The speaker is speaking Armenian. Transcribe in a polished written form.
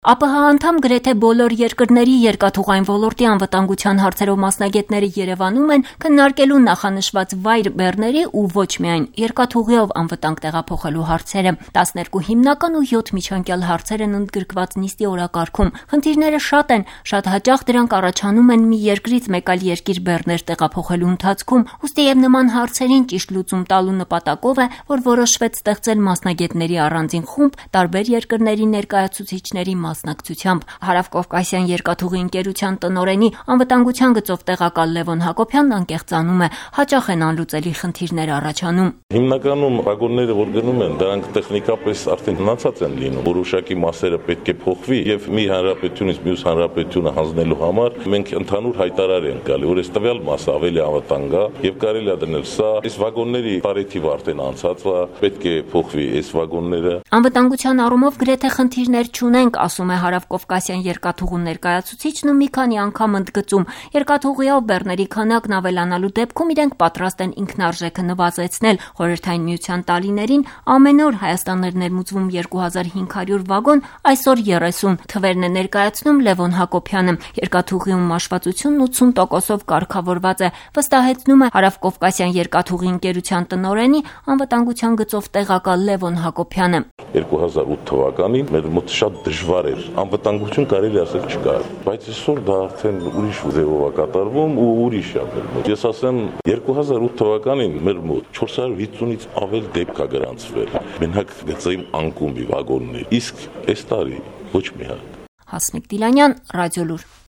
ԱՊՀ անդամ գրեթե բոլոր երկրների երկաթուղային ոլորտի անվտանգության հարցերով մասնագետները Երևանում են քննարկելու նախանշված վայր բեռների ու ոչ միայն երկաթուղիով անվտանգ տեղափոխելու հարցերը։ 12 հիմնական ու 7 միջանկյալ հարցեր են ընդգրկված նիստի օրակարգում։ Խնդիրները շատ են, շատ հաճախ դրանք առաջանում են մի երկրից մեկ այլ երկիր բեռներ տեղափոխելու ընթացքում, ուստի եւ նման հարցերին ճիշտ լուծում տալու նպատակով է, որ որոշվեց ստեղծել մասնագետների առանձին խումբ տարբեր երկրների ներկայացուցիչների մասնակցությամբ։ Հարավկովկասյան երկաթուղի ընկերության տնօրենի անվտանգության գծով տեղակալ Լևոն Հակոբյանն անկեղծանում է, հաճախ են անլուծելի խնդիրներ առաջանում։ Հիմնականում վագոնները, որ գնում են, դրանք տեխնիկապես արդեն հնացած են լինում։ Որոշակի մասերը պետք է փոխվի եւ մի հանրապետությունից մյուս հանրապետությունը հանձնելու համար մենք ընդհանուր հայտարար ենք գալի, որ այս տվյալ մասը ավելի անվտանգ է եւ կարելի է դնել սա։ Այս վագոնների տարեթիվը արդեն անցած է, պետք է փոխվի այս վագոնները։ Անվտանգության առումով գրեթե խնդիրներ չունենք, ասում է Հարավկովկասյան երկաթուղու ներկայացուցիչն ու մի քանի անգամ ընդգծում. երկաթուղիով բեռների քանակն ավելանալու դեպքում իրենք պատրաստ են ինքնարժեքը նվազեցնել։ Խորհրդային Միության տարիներին ամեն օր Հայաստան էր ներմուծվում 2500 վագոն, այսօր 30, թվերն է ներկայացնում Լևոն Հակոբյանը։ Երկաթուղիում մաշվածությունն 80%-ով կարգավորված է, վստահեցնում է Հարավկովկասյան երկաթուղի ընկերության տնօրենի անվտանգության գծով տեղակալ Լևոն Հակոբյանը։ 2008 թվականին մեր մոտ շատ դժվար էր, անվտանգություն կարելի ասել չկար, բայց այսօր դա արդեն ուրիշ ձևով է կատարվում ու ուրիշ է մեր մոտ։ Ես ասեմ 2008 թվականին մեր մոտ 450-ից ավել դեպք է գրանցվել։ Մենակ գծային անկումբի վագոններ, իսկ այս տարի ոչ մի հատ։ Հասմիկ Դիլանյան, Ռադիոլուր։